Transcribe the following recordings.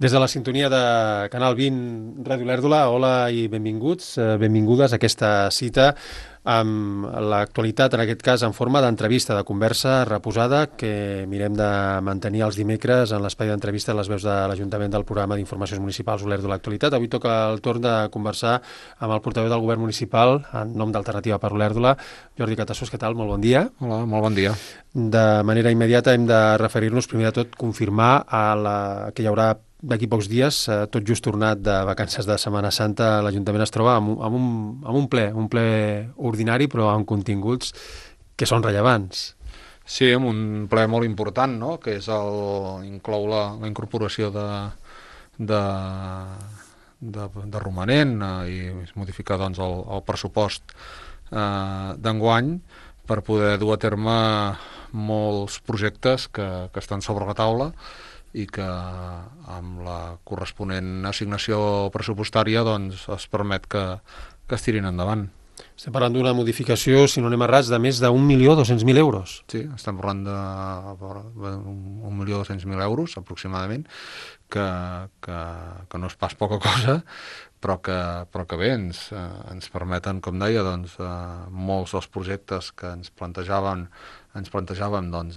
Des de la sintonia de Canal 20, Ràdio Lèrdula, hola i benvinguts, benvingudes a aquesta cita amb l'actualitat, en aquest cas en forma d'entrevista, de conversa reposada, que mirem de mantenir els dimecres en l'espai d'entrevista a les veus de l'Ajuntament del programa d'Informacions Municipals Olèrdula Actualitat. Avui toca el torn de conversar amb el portaveu del Govern Municipal, en nom d'Alternativa per Olèrdula, Jordi Catassos. Què tal? Molt bon dia. Hola, molt bon dia. De manera immediata hem de referir-nos, primer de tot, confirmar que hi haurà d'aquí pocs dies, tot just tornat de vacances de Setmana Santa, l'Ajuntament es troba amb un ple ordinari, però amb continguts que són rellevants. Sí, amb un ple molt important, no?, que és inclou la incorporació de romanent i modificar doncs, el pressupost d'enguany per poder dur a terme molts projectes que estan sobre la taula i que amb la corresponent assignació pressupostària doncs, es permet que es tirin endavant. Estem parlant d'una modificació, si no anem errats, de més d'1.200.000 euros. Sí, estem parlant de 1.200.000 euros aproximadament, que no és pas poca cosa, però que bé, ens permeten, com deia, doncs, molts dels projectes que ens plantejàvem doncs,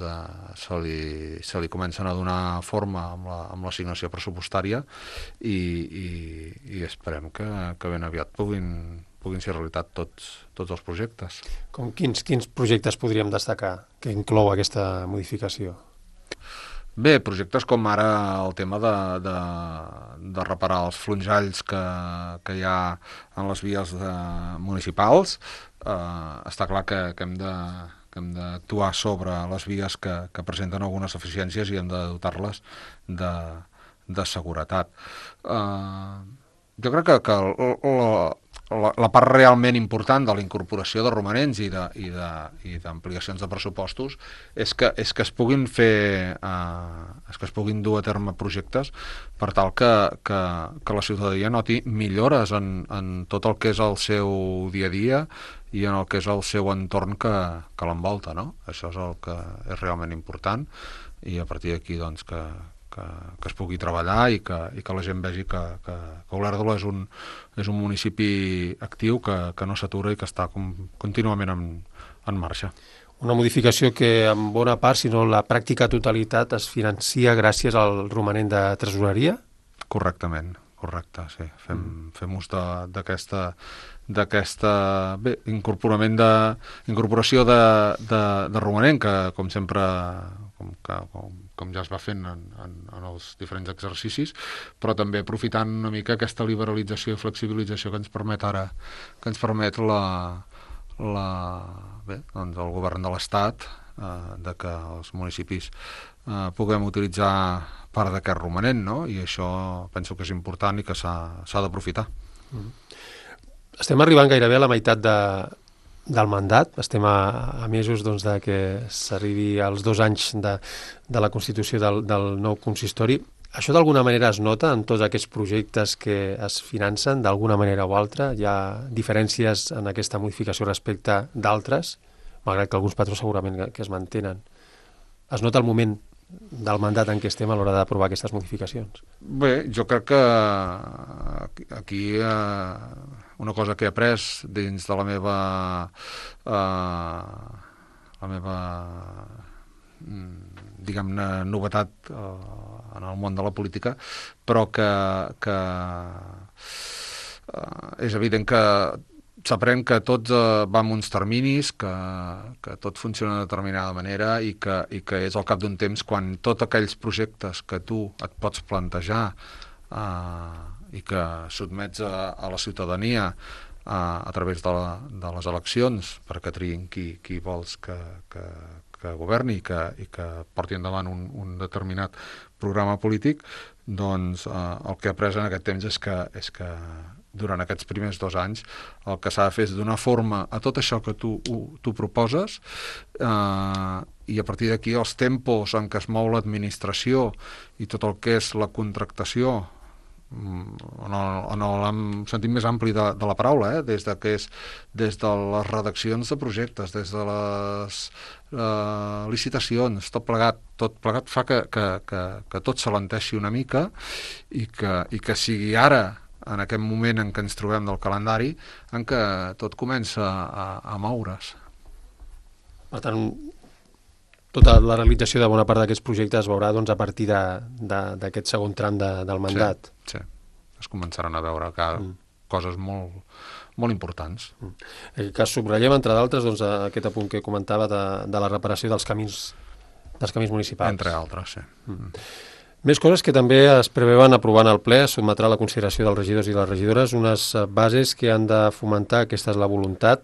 se li comencen a donar forma amb l'assignació pressupostària i esperem que ben aviat puguin ser realitat tots els projectes. Quins projectes podríem destacar que inclou aquesta modificació? Bé, projectes com ara el tema de reparar els flonjalls que hi ha en les vies municipals. Està clar que hem d'actuar sobre les vies que presenten algunes deficiències i hem de dotar-les de seguretat. Jo crec que la part realment important de la incorporació de romanents i d'ampliacions de pressupostos és que es puguin fer que es puguin dur a terme projectes per tal que la ciutadania noti millores en tot el que és el seu dia a dia i en el que és el seu entorn que l'envolta, no? Això és el que és realment important i a partir d'aquí doncs que es pugui treballar i que la gent vegi que Olèrdola és un municipi actiu que no s'atura i que està contínuament en marxa. Una modificació que en bona part, si no la pràctica totalitat, es financia gràcies al romanent de tresoreria? Correctament, correcte, sí. Fem ús d'aquesta incorporació de romanent que, com sempre, com ja es va fent en els diferents exercicis, però també aprofitant una mica aquesta liberalització i flexibilització que ens permet ara, que ens permet doncs el govern de l'Estat, de que els municipis puguem utilitzar part d'aquest romanent, no? I això penso que és important i que s'ha d'aprofitar. Estem arribant gairebé a la meitat del mandat, estem a mesos doncs, de que s'arribi als 2 anys de la constitució del nou consistori. Això d'alguna manera es nota en tots aquests projectes que es financen, d'alguna manera o altra? Hi ha diferències en aquesta modificació respecte d'altres, malgrat que alguns patrons segurament que es mantenen. Es nota el moment del mandat en què estem a l'hora d'aprovar aquestes modificacions? Bé, jo crec que aquí una cosa que he après dins de la meva diguem-ne novetat en el món de la política, però que és evident que s'aprèn que tot va amb uns terminis, que tot funciona de determinada manera i que és al cap d'un temps quan tots aquells projectes que tu et pots plantejar i que sotmets a la ciutadania a través de les eleccions perquè triïn qui vols que governi i que porti endavant un determinat programa polític, doncs el que he après en aquest temps és que durant aquests primers 2 anys el que s'ha de fer és donar forma a tot això que tu proposes i a partir d'aquí els tempos en què es mou l'administració i tot el que és la contractació en el sentit més ampli de la paraula, des de les redaccions de projectes, des de les licitacions, tot plegat fa que tot s'alenteixi una mica i que sigui ara, en aquest moment en què ens trobem del calendari, en què tot comença a moure's. Per tant, tota la realització de bona part d'aquests projectes es veurà doncs, a partir d'aquest segon tram del mandat. Sí. Es començaran a veure coses molt, molt importants. En aquest cas subratllem, entre d'altres, doncs, aquest apunt que comentava de la reparació dels camins municipals. Entre altres, sí. Més coses que també es preveuen aprovant al ple, sotmetrà a la consideració dels regidors i les regidores unes bases que han de fomentar, aquesta és la voluntat,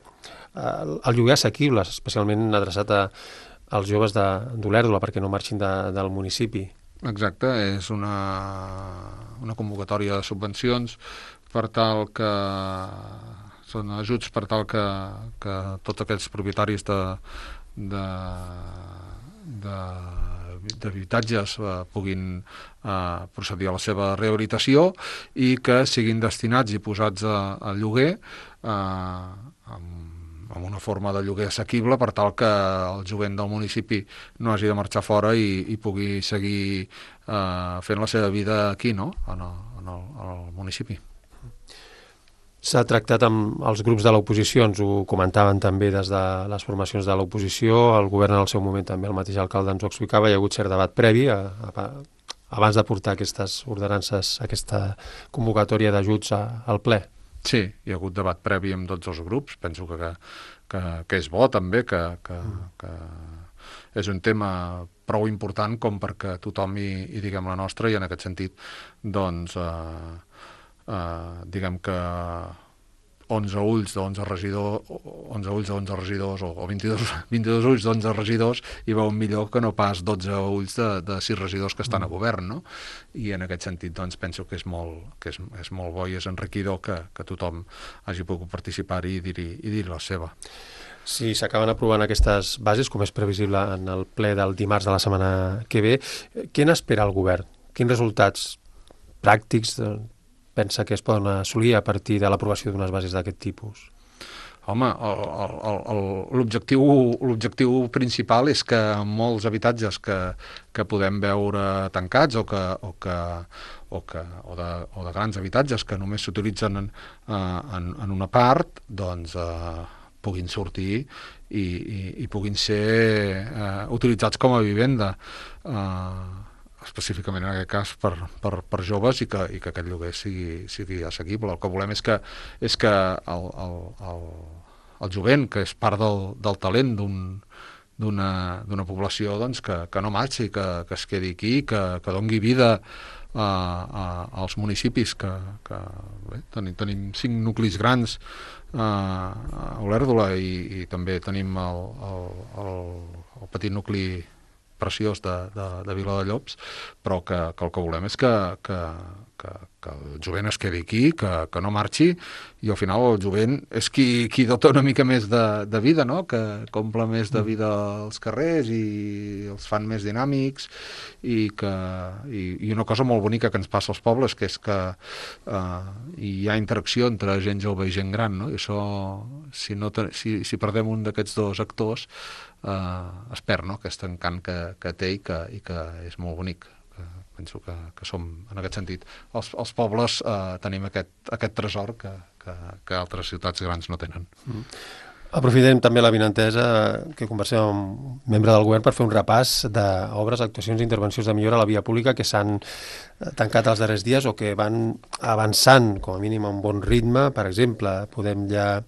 el lloguer assequible, especialment adreçat als joves d'Olèrdola, perquè no marxin del municipi. Exacte, és una convocatòria de subvencions per tal que són ajuts per tal que tots aquests propietaris d'habitatges puguin procedir a la seva rehabilitació i que siguin destinats i posats al lloguer amb una forma de lloguer assequible per tal que el jovent del municipi no hagi de marxar fora i pugui seguir fent la seva vida aquí, no? en el municipi. S'ha tractat amb els grups de l'oposició, ens ho comentaven també des de les formacions de l'oposició, el govern en el seu moment també, el mateix alcalde ens ho explicava, hi ha hagut cert debat previ abans de portar aquestes ordenances, aquesta convocatòria d'ajuts al ple. Sí, hi ha hagut debat previ amb tots els grups, penso que és bo també, que és un tema prou important com perquè tothom hi diguem la nostra i en aquest sentit doncs diguem que 11 ulls d'11 regidors o 22 ulls d'11 regidors hi veuen millor que no pas 12 ulls de 6 regidors que estan a govern, no? I en aquest sentit doncs penso que és molt bo i és enriquidor que tothom hagi pogut participar-hi i dir la seva. Si s'acaben aprovant aquestes bases, com és previsible en el ple del dimarts de la setmana que ve, què n'espera el govern? Quins resultats pràctics pensa que es poden assolir a partir de l'aprovació d'unes bases d'aquest tipus? Home, l'objectiu principal és que molts habitatges que podem veure tancats o de grans habitatges que només s'utilitzen en una part, doncs puguin sortir i puguin ser utilitzats com a vivenda, específicament en aquest cas per joves i que aquest lloguer sigui assequible. El que volem és que el jovent, que és part del talent d'una població, doncs que no marxi, que es quedi aquí, que doni vida als municipis bé, tenim 5 nuclis grans a Olèrdola i també tenim el petit nucli preciós de Viladellobs, però que el que volem és que el jovent es quedi aquí, que no marxi, i al final el jovent és qui dota una mica més de vida, no? Que comple més de vida als carrers i els fan més dinàmics i una cosa molt bonica que ens passa als pobles, que és que hi ha interacció entre gent jove i gent gran, no? I això, si perdem un d'aquests dos actors, es perd, no? Aquest encant que té i que és molt bonic. Penso que som, en aquest sentit, els pobles tenim aquest tresor que altres ciutats grans no tenen. Aprofitem també l'avinentesa que conversem amb un membre del govern per fer un repàs d'obres, actuacions i intervencions de millora a la via pública que s'han tancat els darrers dies o que van avançant, com a mínim, a un bon ritme. Per exemple, podem ja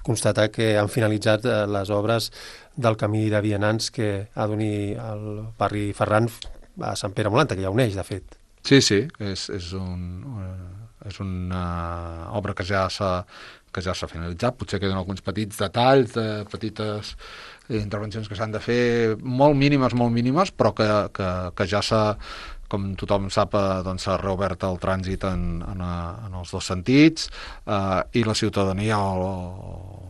constatar que han finalitzat les obres del camí de vianants que ha d'unir el barri Ferran a Sant Pere Molanta, que ja uneix, de fet. Sí, és una obra que ja s'ha finalitzat. Potser queden alguns petits detalls, petites intervencions que s'han de fer, molt mínimes, però que ja s'ha, com tothom sap, doncs s'ha reobert el trànsit en els dos sentits, i la ciutadania,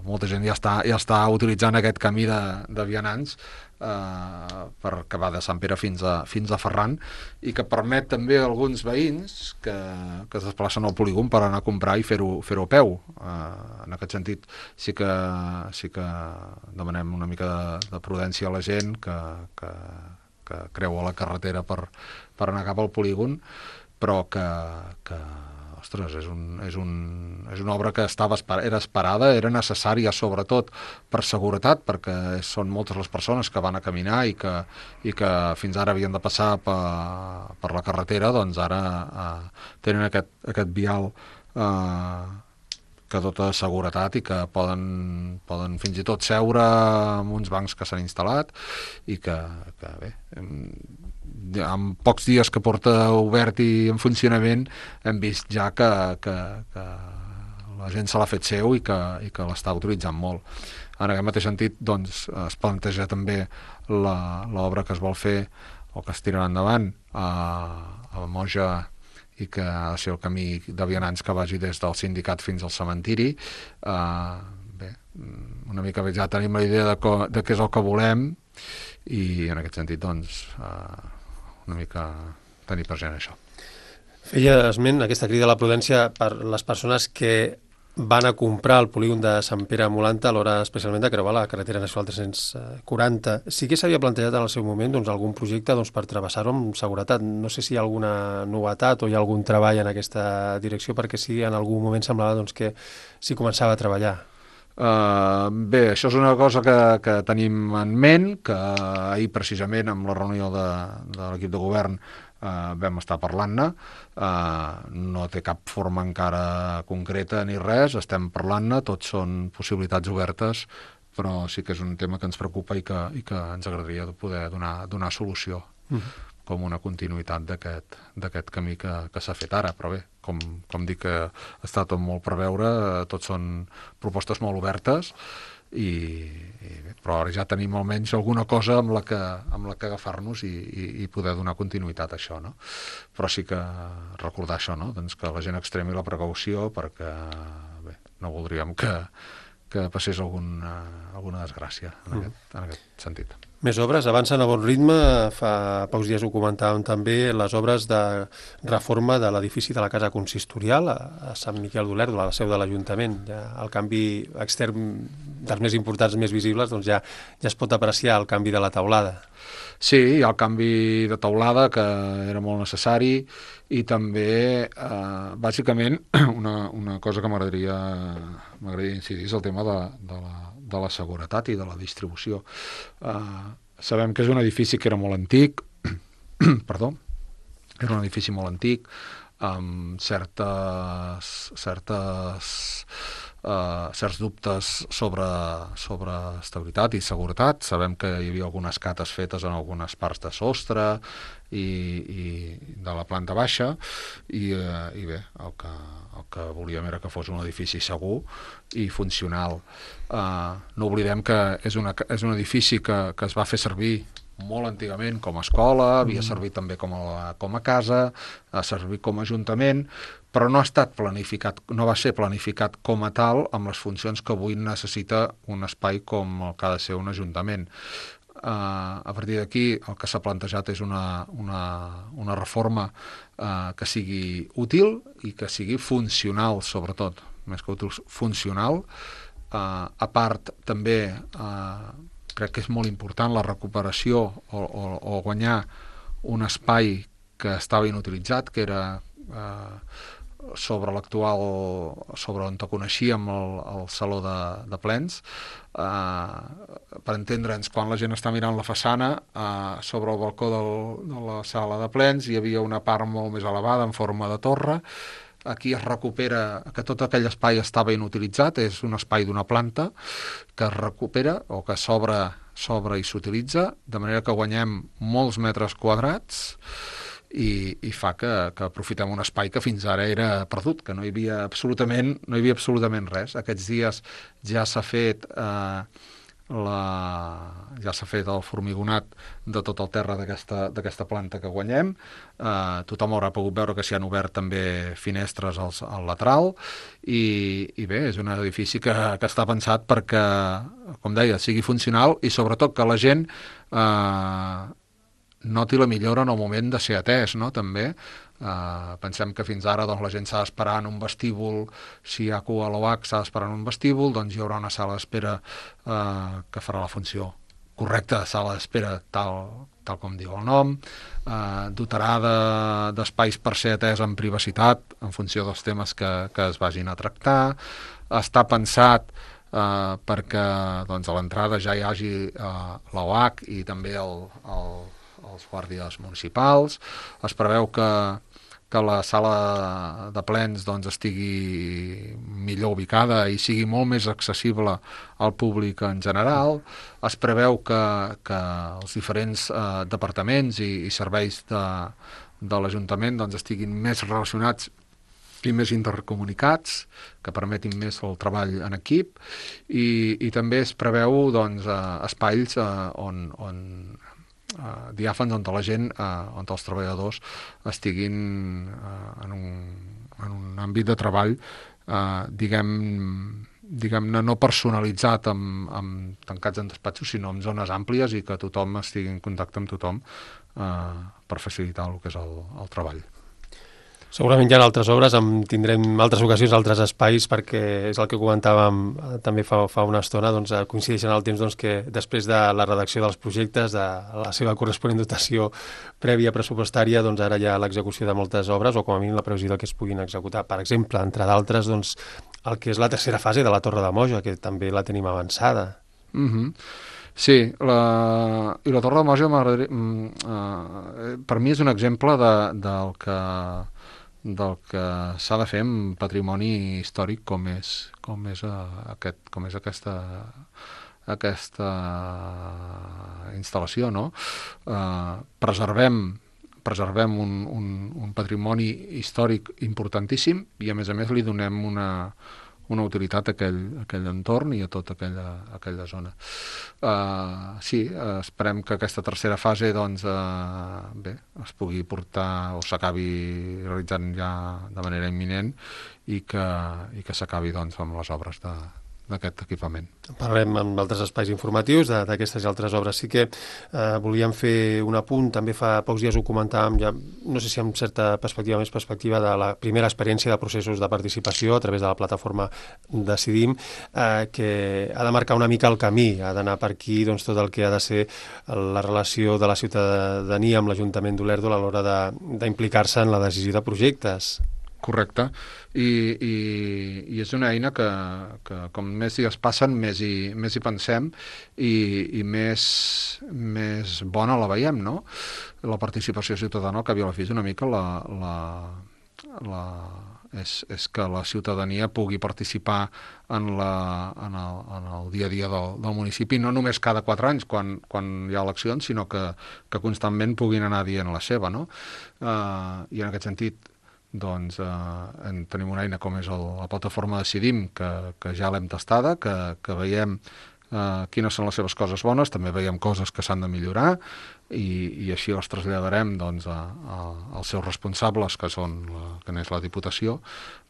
molta gent ja està utilitzant aquest camí de vianants que va de Sant Pere fins a Ferran, i que permet també a alguns veïns que es desplacen al polígon per anar a comprar i fer-ho a peu. En aquest sentit sí que demanem una mica de prudència a la gent que creua la carretera per anar cap al polígon, però que ostres, és una obra que era esperada, era necessària sobretot per seguretat, perquè són moltes les persones que van a caminar i que fins ara havien de passar per la carretera, doncs ara tenen aquest vial que dota de seguretat i que poden fins i tot seure en uns bancs que s'han instal·lat, i que bé, en pocs dies que porta obert i en funcionament hem vist ja que la gent se l'ha fet seu i que l'està utilitzant molt. En aquest mateix sentit, doncs, es planteja també l'obra que es vol fer o que es tirarà endavant a Moja, i que ha de ser el camí de vianants que vagi des del sindicat fins al cementiri. Bé, una mica ja tenim la idea de què és el que volem, i en aquest sentit, doncs, una mica tenir present això. Feia esment aquesta crida a la prudència per les persones que van a comprar el polígon de Sant Pere a Molanta a l'hora especialment de creuar la carretera nacional 340. Sí que s'havia plantejat en el seu moment algun projecte per travessar-ho amb seguretat. No sé si hi ha alguna novetat o hi ha algun treball en aquesta direcció, perquè sí, en algun moment semblava que s'hi començava a treballar. Bé, això és una cosa que tenim en ment, que ahir precisament amb la reunió de l'equip de govern vam estar parlant-ne. No té cap forma encara concreta ni res, estem parlant-ne, tots són possibilitats obertes, però sí que és un tema que ens preocupa i que ens agradaria poder donar solució, com una continuïtat d'aquest camí que s'ha fet ara. Però bé, com dic, que està tot molt per veure, tots són propostes molt obertes, però ara ja tenim almenys alguna cosa amb la que agafar-nos i poder donar continuïtat a això, no? Però sí que recordar això, no? Doncs que la gent extremi la precaució, perquè bé, no voldríem que passés alguna desgràcia en aquest sentit. Més obres, avancen a bon ritme. Fa pocs dies ho comentàvem també, les obres de reforma de l'edifici de la Casa Consistorial a Sant Miquel d'Olèrdola, a la seu de l'Ajuntament. Ja el canvi extern dels més importants, més visibles, doncs ja es pot apreciar el canvi de la teulada. Sí, hi ha el canvi de teulada, que era molt necessari, i també, bàsicament, una cosa que m'agradaria incidir és el tema de la seguretat i de la distribució. Sabem que és un edifici que era molt antic, perdó, era un edifici molt antic, amb certs dubtes sobre estabilitat i seguretat. Sabem que hi havia algunes cates fetes en algunes parts de sostre i de la planta baixa, i bé, el que volíem era que fos un edifici segur i funcional. No oblidem que és un edifici que es va fer servir molt antigament com a escola, havia servit també com a casa, ha servit com a ajuntament, però no va ser planificat com a tal amb les funcions que avui necessita un espai com el que ha de ser un ajuntament. A partir d'aquí el que s'ha plantejat és una reforma que sigui útil i que sigui funcional, sobretot, més que útil, funcional. A part, també crec que és molt important la recuperació o guanyar un espai que estava inutilitzat, que era sobre on te coneixíem el saló de plens. Per entendre'ns, quan la gent està mirant la façana, sobre el balcó de la sala de plens hi havia una part molt més elevada en forma de torre. Aquí es recupera, que tot aquell espai estava inutilitzat, és un espai d'una planta que es recupera o que s'obre i s'utilitza, de manera que guanyem molts metres quadrats i fa que aprofitem un espai que fins ara era perdut, que no hi havia absolutament res. Aquests dies ja s'ha fet ja s'ha fet el formigonat de tot el terra d'aquesta planta que guanyem. Tothom haurà pogut veure que s'hi han obert també finestres al lateral i bé, és un edifici que està pensat perquè, com deia, sigui funcional i sobretot que la gent noti la millora en el moment de ser atès, no? També pensem que fins ara doncs, la gent s'ha d'esperar en un vestíbul, si hi ha cua a l'OH s'ha d'esperar en un vestíbul, doncs hi haurà una sala d'espera que farà la funció correcta, sala d'espera tal com diu el nom, dotarà d'espais per ser atès en privacitat en funció dels temes que es vagin a tractar, està pensat perquè doncs, a l'entrada ja hi hagi l'OH i també els guàrdies municipals. Es preveu que la sala de plens doncs, estigui millor ubicada i sigui molt més accessible al públic en general. Es preveu que els diferents departaments i serveis de l'Ajuntament doncs, estiguin més relacionats i més intercomunicats, que permetin més el treball en equip, i també es preveu doncs, espais on diàfans on la gent, on els treballadors estiguin en un àmbit de treball diguem-ne no personalitzat amb tancats en despatxos, sinó en zones àmplies i que tothom estigui en contacte amb tothom per facilitar el que és el treball. Segurament hi ha altres obres, tindrem altres ocasions, altres espais, perquè és el que comentàvem també fa una estona, doncs coincideixen el temps doncs, que després de la redacció dels projectes, de la seva corresponent dotació prèvia pressupostària, doncs ara hi ha l'execució de moltes obres, o com a mínim la previsió que es puguin executar. Per exemple, entre d'altres, doncs, el que és la tercera fase de la Torre de Moja, que també la tenim avançada. Sí, i la Torre de Moja per mi és un exemple del que s'ha de fer en patrimoni històric com és aquesta instal·lació, no? Preservem un patrimoni històric importantíssim i a més li donem una utilitat a aquell entorn i a tota aquella zona. Sí, esperem que aquesta tercera fase doncs, es pugui portar o s'acabi realitzant ja de manera imminent i que s'acabi doncs, amb les obres d'aquest equipament. Parlarem amb altres espais informatius d'aquestes i altres obres. Sí que volíem fer un apunt, també fa pocs dies ho comentàvem, ja, no sé si amb certa perspectiva, més perspectiva de la primera experiència de processos de participació a través de la plataforma Decidim, que ha de marcar una mica el camí, ha d'anar per aquí doncs, tot el que ha de ser la relació de la ciutadania amb l'Ajuntament d'Olèrdola a l'hora d'implicar-se en la decisió de projectes. Correcte, i és una eina que com més dies passen més hi pensem i més bona la veiem, no? La participació ciutadana, al cap i a la fi, és una mica és que la ciutadania pugui participar en el dia a dia del municipi, no només cada 4 anys quan hi ha eleccions, sinó que constantment puguin anar dient la seva, no? I en aquest sentit doncs tenim una eina com és la plataforma Decidim, que ja l'hem tastada, que veiem quines són les seves coses bones, també veiem coses que s'han de millorar i així les traslladarem doncs, als seus responsables, que n'és la Diputació,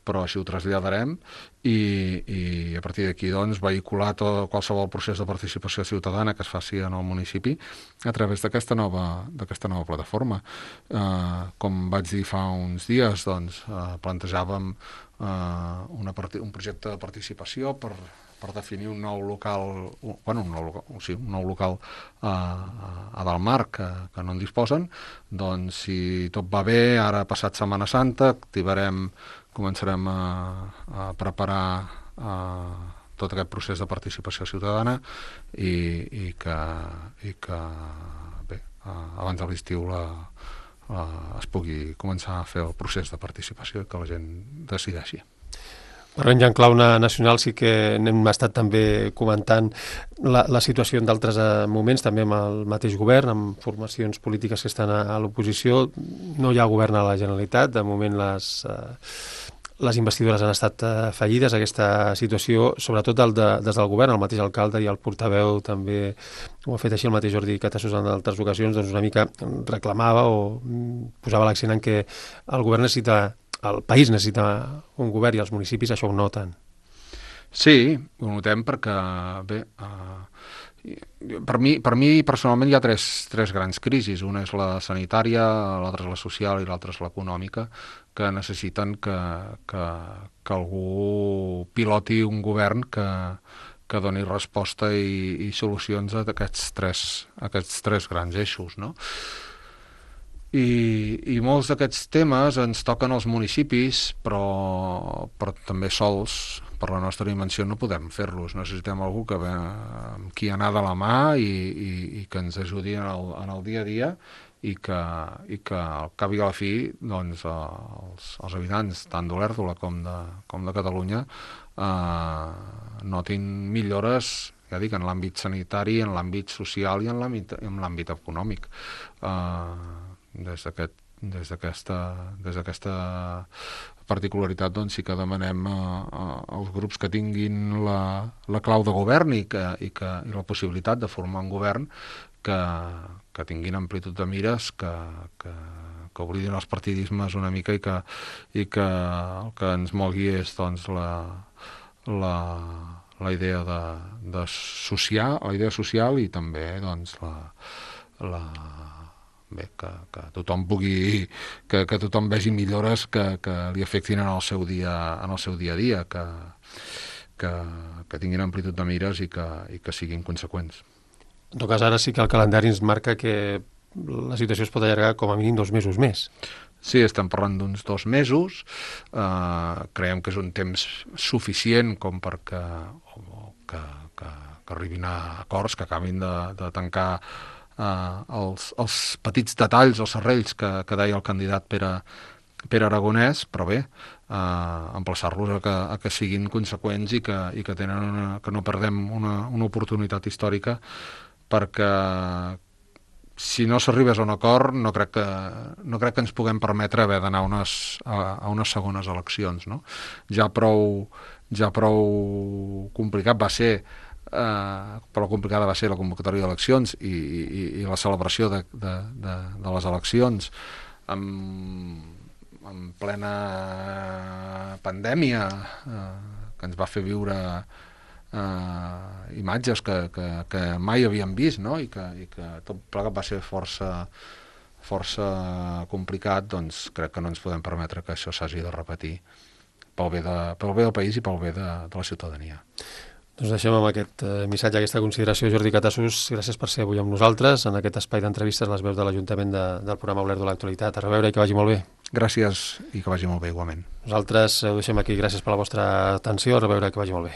però així ho traslladarem i a partir d'aquí doncs, vehicular qualsevol procés de participació ciutadana que es faci en el municipi a través d'aquesta nova plataforma. Com vaig dir fa uns dies, doncs, plantejàvem un projecte de participació per definir un nou local, un nou local a Dalmar que no en disposen. Doncs si tot va bé, ara passat Setmana Santa començarem a preparar tot aquest procés de participació ciutadana i que bé, abans de l'estiu es pugui començar a fer el procés de participació i que la gent decideixi. Parlant ja en clau nacional, sí que n'hem estat també comentant la situació en d'altres moments, també amb el mateix govern, amb formacions polítiques que estan a l'oposició. No hi ha govern a la Generalitat, de moment les investidures han estat fallides, aquesta situació, sobretot des del govern, el mateix alcalde i el portaveu també ho ha fet així, el mateix Jordi Catassos en altres ocasions, doncs una mica reclamava o posava l'accent en que el govern el país necessita un govern i els municipis això ho noten. Sí, ho notem perquè, bé, per mi personalment hi ha tres grans crisis. Una és la sanitària, l'altra és la social i l'altra és l'econòmica, que necessiten que algú piloti un govern que doni resposta i solucions a aquests tres grans eixos, no? I molts d'aquests temes ens toquen als municipis, però també sols, per la nostra dimensió, no podem fer-los. Necessitem algú amb qui anar de la mà i que ens ajudi en el dia a dia i que al cap i a la fi doncs, els habitants tant d'Olèrdola com de Catalunya notin millores, ja dic, en l'àmbit sanitari, en l'àmbit social i en l'àmbit econòmic. Des d'aquesta particularitat doncs sí que demanem als grups que tinguin la clau de govern i la possibilitat de formar un govern que tinguin amplitud de mires, que oblidin els partidismes una mica i que el que ens mogui és doncs la idea de la idea social i també doncs bé, que tothom que tothom vegi millores que li afectin en el seu dia a dia, que tinguin amplitud de mires i que siguin conseqüents. En tot cas, ara sí que el calendari ens marca que la situació es pot allargar com a mínim 2 mesos més. Sí, estem parlant d'uns 2 mesos. Creiem que és un temps suficient com perquè que arribin a acords, que acabin de tancar els petits detalls, els serrells que deia el candidat Pere Aragonès, però bé, emplaçar-los a que siguin conseqüents i que no perdem una oportunitat històrica, perquè si no s'arribés a un acord no crec que ens puguem permetre haver d'anar a unes segones eleccions, no? Ja prou complicat va ser prou complicada va ser la convocatòria d'eleccions i la celebració de les eleccions en plena pandèmia que ens va fer viure imatges que mai havíem vist, no? I que tot plegat va ser força complicat. Doncs crec que no ens podem permetre que això s'hagi de repetir pel bé del país i pel bé de la ciutadania. Doncs deixem amb aquest missatge, aquesta consideració. Jordi Catassos, gràcies per ser avui amb nosaltres en aquest espai d'entrevistes, les veus de l'Ajuntament del programa Olèrdola Actualitat. A reveure i que vagi molt bé. Gràcies i que vagi molt bé igualment. Nosaltres ho deixem aquí. Gràcies per la vostra atenció. A reveure i que vagi molt bé.